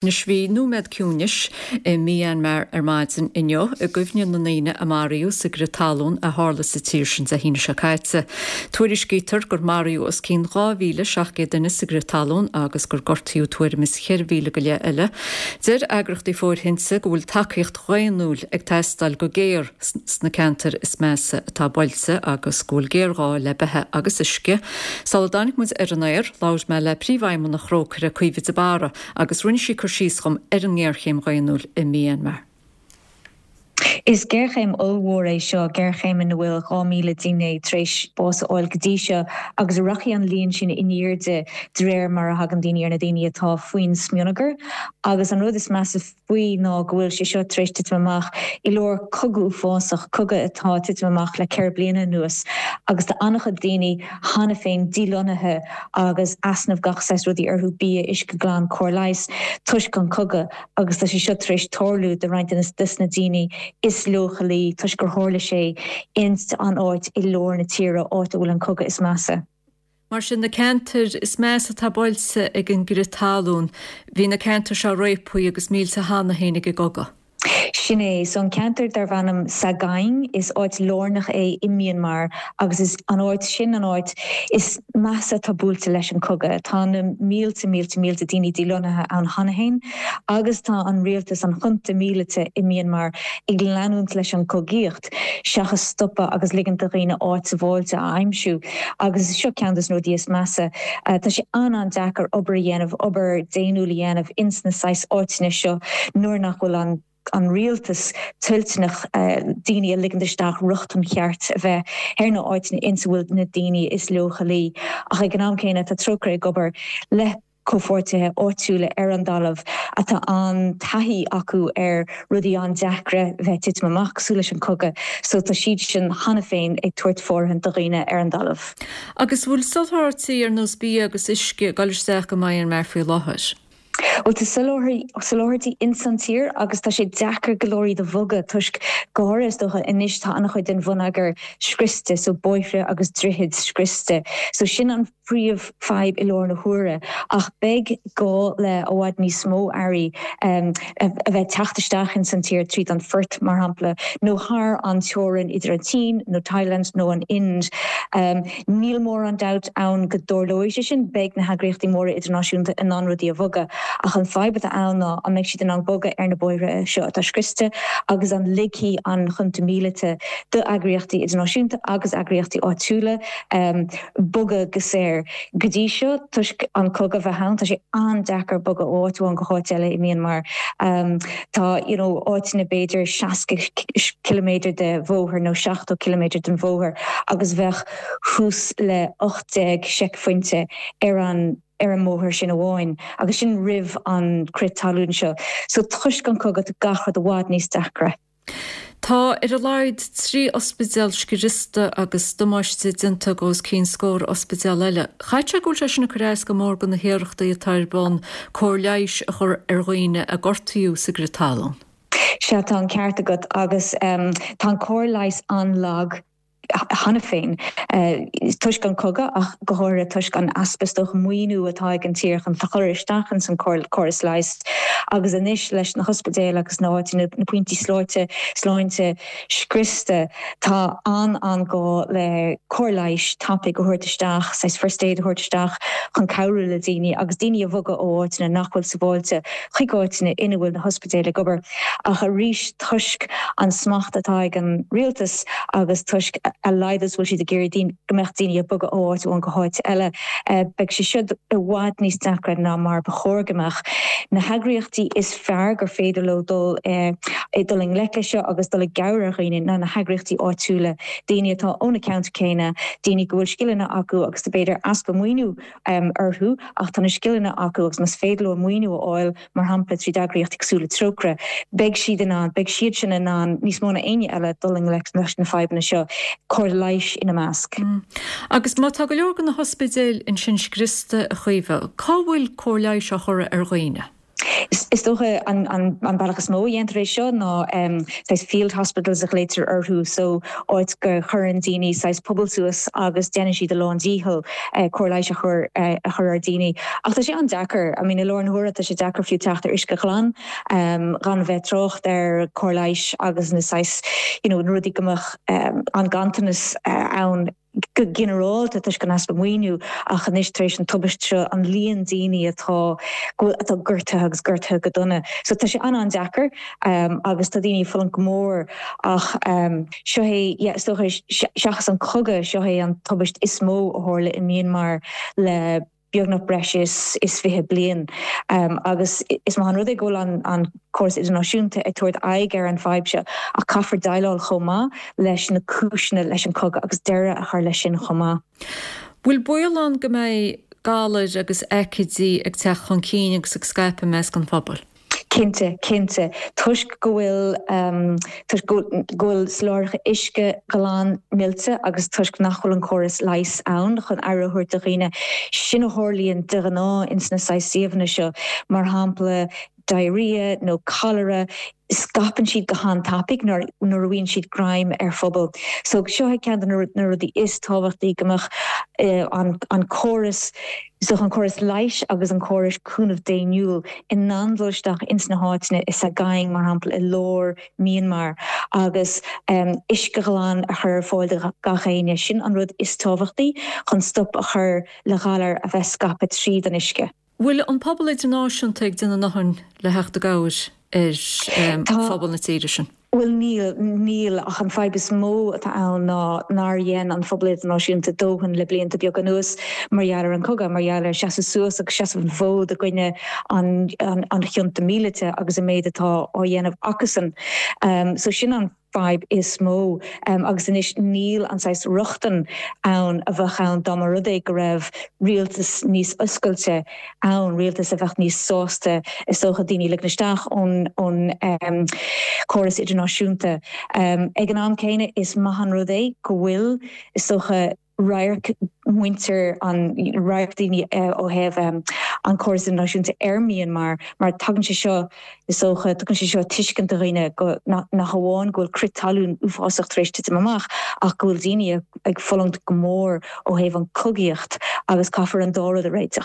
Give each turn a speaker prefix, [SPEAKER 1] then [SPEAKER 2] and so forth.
[SPEAKER 1] Anois bhí nóiméad ciúnais i Myanmar ar maidin inniu i gcuimhne na ndaoine a maraíodh sa gcrith talún a tharla sa tír sin Dé hAoine seo caite. Tuairiscítear gur maraíodh os cionn 2,700 duine sa gcrith talún agus gur gortaíodh tuairim is 4,000 go leith eile. Deir eagraíochtaí fóirithinte go bhfuil tacaíocht dhaonnúil ag teastáil go géar sna ceantair is measa atá buailte agus go bhfuil géarghá le beatha agus uisce. Sula dtáinig muid ar an aer, labhair mé le Príomhfheidhmeannach Thrócaire, Caoimhe de Barra, agus rinne sí cur síos dhom ar an ngéarchéim dhaonnúil i Myanmar.
[SPEAKER 2] Is géarchéim ollmhór é seo, géarchéim ina bhfuil 2,000 duine tar éis bás a fháil go dtí seo agus rachaidh an líon sin in airde de réir mar a thagann daoine ar na daoine atá faoin smionagar. Agus an rud is measa faoi ná go bhfuil sé seo tar éis titim amach i lár cogadh uafásach, cogadh atá ag titim amach le 4 bliana anuas agus tá an-chuid daoine cheana féin dílonnaithe agus easnamh gach saghas rudaí orthu, bia, uisce glan, cóir leighis, toisc an cogadh agus tá sé seo tar éis tarlú do roinnt des na daoine is leochailí toisc gur tharla sé ins an áit i lár na tíre, áit a bhfuil an cogadh is measa.
[SPEAKER 1] Mar sin, na ceantair is measa atá buailte ag an gcrith talún, bhí na ceantair seo réabtha agus millte cheana féin ag an gcogadh.
[SPEAKER 2] Sin é. So an ceantar darb ainm Sagaing, is áit lárnach é i Myanmar agus is an áit sin an áit is measa atá buailte leis an cogadh. Tá na mílte, mílte, mílte daoine dílonnaithe ann cheana féin agus tá an rialtas, an junta míleata i Myanmar ag leanúint leis an cogaíocht. seachas stopadh agus ligint do dhaoine áit sábháilte a aimsiú. Agus seo ceann dos na rudaí is measa. Tá sé an-an-deacair obair a dhéanamh, obair daonnúil a dhéanamh ins na saghas áiteanna seo nuair nach bhfuil an an rialtas toilteanach daoine a ligint isteach, rochtain cheart a bheith ar na áiteanna ins a bhfuil na daoine is leochailí. Ach ag an am céanna tá Trócaire ag obair le. comhpháirtithe áitiúla ar an dtalamh atá an-taithí acu ar rudaí an-deacra bheith ag titim amach, cosúil leis an cogadh, so tá siad sin cheana féin ag tabhairt fóirithint do dhaoine ar an dtalamh.
[SPEAKER 1] Agus bhfuil soláthairtí ar nós bia agus uisce ag dul isteach go Myanmar faoi láthair?
[SPEAKER 2] Bhuel tá soláthairtí ins an tír agus tá sé deacair go leor iad a bhogadh toisc go háirithe is dócha anois tá an-chuid den bhonneagar scriosta, so bóithre agus droichid scriosta, so sin an príomh fadhb i lár na huaire, ach beidh gá le i bhfad níos mó earraí a bheith ag teacht isteach ins an tír tríd an phort, mar shampla, nó thar an teorainn idir an tSín nó Thailand nó an Ind. Níl mórán dabht ann go dtarlóidh sé sin, beidh na heagraíochtaí móra idirnáisiúnta in ann rudaí a bhogadh, ach an fadhb atá ann ná an mbeidh siad in ann bogadh ar na bóithre seo atá scriosta agus an ligfidh an junta míleata d'eagraíochtaí idirnáisiúnta agus eagraíochtaí áitiúla bogadh go saor. Go dtí seo, toisc an cogadh a bheith ann, tá sé an-deacair bogadh ó áit amháin go háit eile i Myanmar. Tá you know áiteanna b'fhéidir 60 ciliméadar de bhóthar nó 70 ciliméadar den bhóthar agus bheadh thuas le 18 seicphointe ar an ar an mbóthar sin amháin agus sin roimh an crith talún seo. So toisc an cogadh tá gach rud i bhfad níos deacra.
[SPEAKER 1] Tá ar a laghad 3 ospidéal scriosta agus damáiste déanta do os cionn scór ospidéal eile. Caithfidh sé go bhfuil sé sin ag cur as go mór do na hiarrachtaí atá ar bun cóir leighis a chur ar dhaoine a gortaíodh sa gcrith talún.
[SPEAKER 2] Sea, tá an ceart agat agus tá an cóir leighis an-lag. cheana féin, toisc an cogadh ach go háirithe toisc an easpa is dócha maoiniú atá ag an tír chun chur isteach ins an córas leighis agus anois leis na hospidéil agus na háiteanna, na pointí sláinte, sláinte scriosta, tá an-an-gá le cóir leighis tapaidh a thabhairt isteach, saghas first aid a thabhairt isteach chun cabhrú le daoine agus daoine a bhogadh ó áiteanna nach bhfuil sabháilte chuig áiteanna ina bhfuil na hospidéil ag obair. Ach arís toisc an smacht atá ag an rialtas agus toisc a laghad is bhfuil siad ag iarraidh go mbeadh daoine ag bogadh ó áit amháin go háit eile, beidh sé seo i bhfad níos deacra ná mar ba chóir go mbeadh. Na heagraíochtaí is fearr gur féidir leo dul dul i ngleic leis seo agus dul i gcabhair ar dhaoine ná na heagraíochtaí áitiúla, daoine atá ó na ceantair céanna, daoine go bhfuil scileanna acu agus b'fhéidir easpa maoiniú orthu ach tá na scileanna acu agus más féidir leo maoiniú a fháil, mar shampla tríd eagraíochtaí cosúil le Trócaire, beidh siad in ann, beidh siad sin in ann níos mó ná éinne eile dul i ngleic leis na fadhbanna seo, cóir leighis ina measc.
[SPEAKER 1] Agus má tá go leor de na hospidéil ansin scriosta, a Chaoimhe, cá bhfuil cóir leighis á chur ar dhaoine?
[SPEAKER 2] Is dócha an bealach is mó a dhéantar é seo ná saghas field hospitals a ghlaoitear orthu, so áit go chuireann daoine saghas puball suas agus déanann siad a lán dícheall cóir leighis a chur a chur ar daoine. Ach tá sé an-deacair, I mean i láthair na huaire tá sé deacair fiú teacht ar uisce ghlan, gan bheith trácht ar cóir leighis agus na saghas you know na rudaí go mbeadh an ganntanas ann. go ginearálta toisc an easpa maoiniú ach anois tar éis an tubaist seo an líon daoine atá go bhfuil atá gortaithe agus gortaithe go dona. So tá sé an-an-deacair agus tá daoine ag fulaingt go mór ach seo é yeah is dócha seachas an cogadh seo é an tubaist is mó a tharla i Myanmar le beagnach breis is 20 bliain agus is maith an rud é go bhfuil an córas idirnáisiúnta ag tabhairt aghaidh ar an bhfadhb seo ach caithfear déileáil chomh maith leis na cúiseanna leis an cogadh agus deireadh a chur leis sin chomh maith.
[SPEAKER 1] Bhfuil baol ann go mbeidh galair agus aicídí ag teacht chun cinn agus ag scaipeadh i measc an phobail?
[SPEAKER 2] Cinnte, cinnte. Toisc go bhfuil, toisc go bhfuil soláthraithe uisce glan millte agus toisc nach bhfuil an córas leighis ann chun aire a thabhairt do dhaoine, sin a tharlaíonn de ghnáth ins na saghas suíomhanna seo, mar shampla diarrhea nó cholera, scaipeann siad go han-tapaidh nuair a fhaigheann siad greim ar phobal. So seo é ceann de na rudaí is tábhachtaí, go mbeadh an córas, so an córas leighis agus an córas cúnamh daonnúil in ann dul isteach ins na háiteanna i Sagaing, mar shampla, i lár Myanmar, agus uisce ghlan a chur ar fáil do gach éinne. Sin an rud is tábhachtaí chun stop a chur le galair a bheith scaipthe tríd an uisce.
[SPEAKER 1] Bhfuil an pobal idirnáisiúnta ag déanamh a ndóthain le theacht i gcabhair ar phobal na tíre sin?
[SPEAKER 2] Bhuel níl, níl, ach an fadhb is mó atá ann ná nár dhein an phobal idirnáisiúnta dóthain le blianta beaga anuas mar gheall ar an cogadh, mar gheall ar seasamh suas agus seasamh an fhóid i gcoinne an an chunta míleata agus an méid atá á dhéanamh acusan. So sin an fadhb is mó agus anois níl an saghas rochtain ann a bheadh ann dá mba rud é go raibh rialtas níos oscailte ann, rialtas a bheadh níos sásta is dócha daoine a ligean isteach ón ón córas idirnáisiúnta. Ag an am céanna is maith an rud é go bhfuil is dócha radharc muintir an radharc daoine ó thaobh an córas idirnáisiúnta ar Myanmar mar tagann sé seo is dócha tugann sé seo tuiscint do dhaoine go nach amháin go bhfuil crith talún uafásach tar éis titim amach ach go bhfuil daoine ag fulaingt go mór ó thaobh an cogaíocht agus caithfear an dá rud a réiteach.